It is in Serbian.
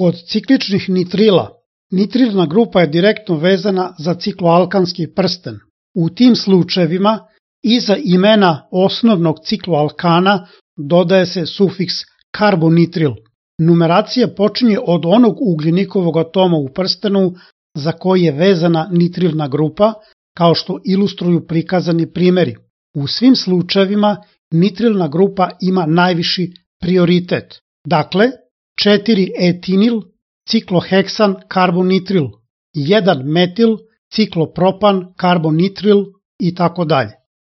Kod cikličnih nitrila, nitrilna grupa je direktno vezana za cikloalkanski prsten. U tim slučajevima iza imena osnovnog cikloalkana dodaje se sufiks karbonitril. Numeracija počinje od onog ugljenikovog atoma u prstenu za koji je vezana nitrilna grupa, kao što ilustruju prikazani primjeri. U svim slučajevima nitrilna grupa ima najviši prioritet. Dakle, 4-etinil, cikloheksan karbonitril, 1-metil, ciklopropan karbonitril i tako dalje.